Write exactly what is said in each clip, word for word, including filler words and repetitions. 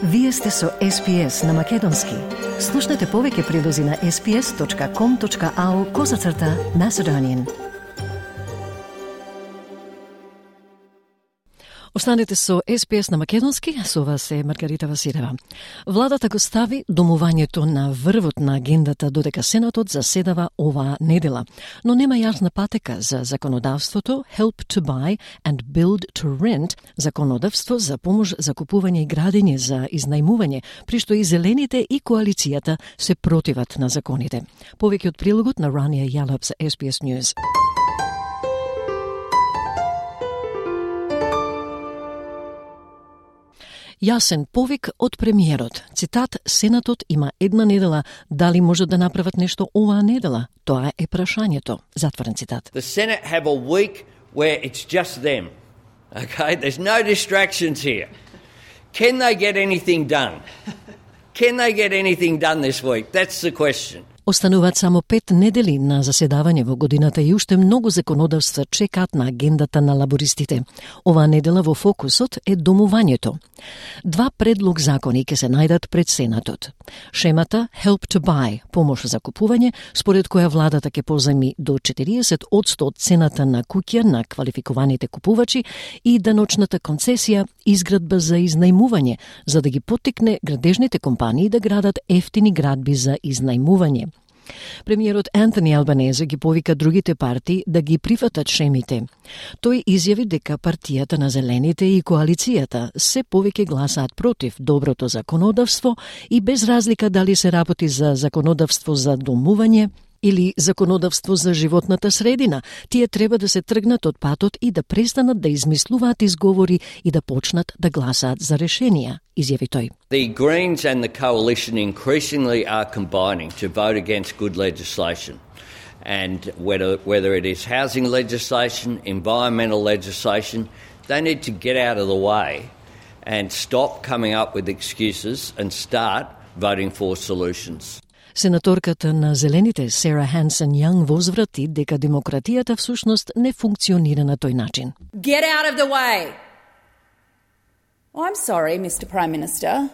Вие сте со Ес Пи Ес на Македонски. Слушнете повеќе прилози на ес пи ес точка ком точка ау козацрта Macedonian. Останете со Ес Пи Ес на Македонски, со вас е Маргарита Василева. Владата го стави домувањето на врвот на агендата додека Сенатот заседава оваа недела, но нема јасна патека за законодавството Help to Buy and Build to Rent, законодавство за помош за купување и градење за изнајмување, при што и зелените и коалицијата се противат на законите. Повеќе од прилогот на Рания Јалап за Ес Пи Ес News. Јасен повик од премиерот. Цитат: Сенатот има една недела, дали можат да направат нешто оваа недела? Тоа е прашањето. Затворен цитат. The Senate have a week where it's just them. Okay, there's no distractions here. Can they get anything done? Can they get anything done this week? That's the question. Остануваат само пет недели на заседавање во годината и уште многу законодавства чекаат на агендата на лабористите. Оваа недела во фокусот е домувањето. Два предлог закони ќе се најдат пред Сенатот. Шемата Help to Buy, помош за купување, според која владата ќе позајми до четириесет одсто од цената на куќа на квалификуваните купувачи, и даночната концесија изградба за изнајмување, за да ги поттикне градежните компании да градат ефтини градби за изнајмување. Премиерот Антони Албанезе ги повика другите партии да ги прифатат шемите. Тој изјави дека партијата на зелените и коалицијата се повеќе гласаат против доброто законодавство и без разлика дали се работи за законодавство за домување или законодавство за животната средина, тие треба да се тргнат од патот и да престанат да измислуваат изговори и да почнат да гласаат за решенија, изјави тој. The Greens and the Coalition increasingly are combining to vote against good legislation. And whether, whether it is housing legislation, environmental legislation, they need to get out of the way and stop coming up with excuses and start voting for solutions. Сенаторката на Зелените Сара Хансен Јанг возврати дека демократијата всушност не функционира на тој начин. Get out of the way. Oh, I'm sorry, Mister Prime Minister,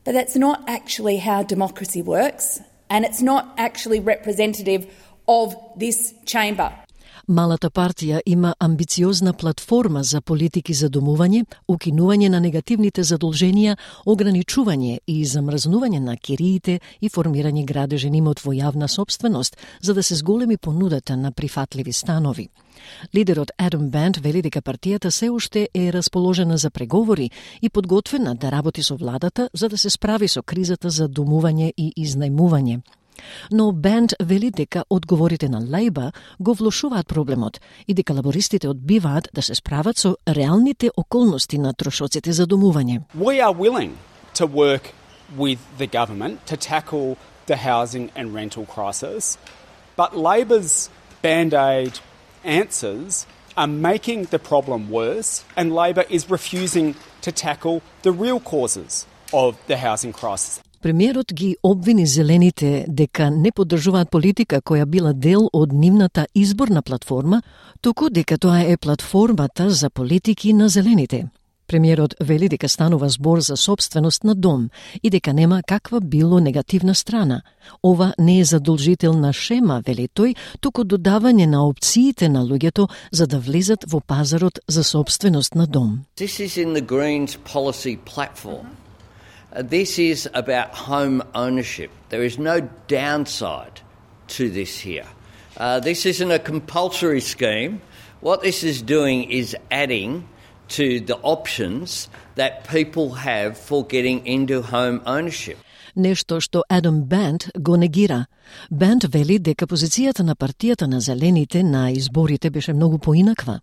but that's not actually how democracy works, and it's not actually representative of this chamber. Малата партија има амбициозна платформа за политики за домување, укинување на негативните задолженија, ограничување и замрзнување на кириите и формирање градежен имот во јавна собственост, за да се зголеми понудата на прифатливи станови. Лидерот Адам Бент вели дека партијата се уште е расположена за преговори и подготвена да работи со владата за да се справи со кризата за домување и изнајмување. Но Бент вели дека одговорите на Лейбър го влошуваат проблемот и дека лабористите одбиваат да се справат со реалните околности на трошоците за домување. We are willing to work with the government to tackle the housing and rental crisis, but Labor's band-aid answers are making the problem worse, and Labor is refusing to tackle the real causes of the housing crisis. Премиерот ги обвини зелените дека не поддржуваат политика која била дел од нивната изборна платформа, туку дека тоа е платформата за политики на зелените. Премиерот вели дека станува збор за собственост на дом и дека нема каква било негативна страна. Ова не е задолжителна шема, вели тој, туку додавање на опциите на луѓето за да влезат во пазарот за собственост на дом. This is in the Greens policy platform. This is about home ownership. There is no downside to this here. Uh, this isn't a compulsory scheme. What this is doing is adding to the options that people have for getting into home ownership. Нешто што Адам Бент го негира. Бент вели дека позицијата на партијата на зелените на изборите беше многу поинаква.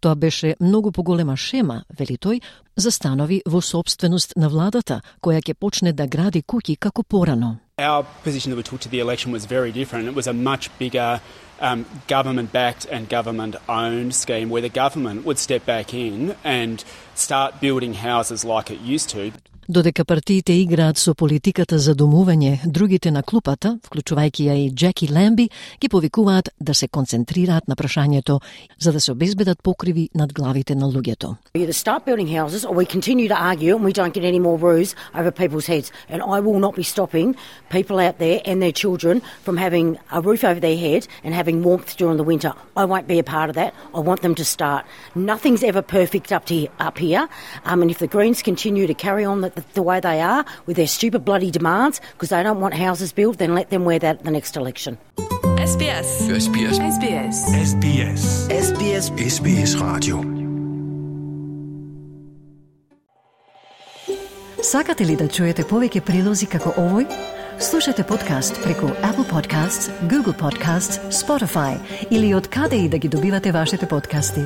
Тоа беше многу поголема шема, вели тој, за станови во собственост на владата, која ќе почне да гради куќи како порано. Our position that we took to the election was very different. It was a much bigger um, government-backed and government-owned scheme where the government would step back in and start building houses like it used to. Додека партиите играат со политиката за домување, другите на клупата, вклучувајќи ја и Джеки Ламби, ги повикуваат да се концентрираат на прашањето за да се обезбедат покриви над главите на луѓето. We either start building houses or we continue to argue and we don't get any more roofs over people's heads. And I will not be stopping people out there and their children from having a roof over their head and having warmth during the winter. I won't be a part of that. I want them to start. Nothing's ever perfect up, to, up here. Um, and if the Greens continue to carry on the, the, the way they are with their stupid bloody demands because they don't want houses built, then let them wear that at the next election. S B S. S B S. S B S. S B S. S B S. S B S Radio. Сакате ли да чуете повеќе прилози како овој? Слушате подкаст преку Apple Podcasts, Google Podcasts, Spotify или од каде и да ги добивате вашите подкасти.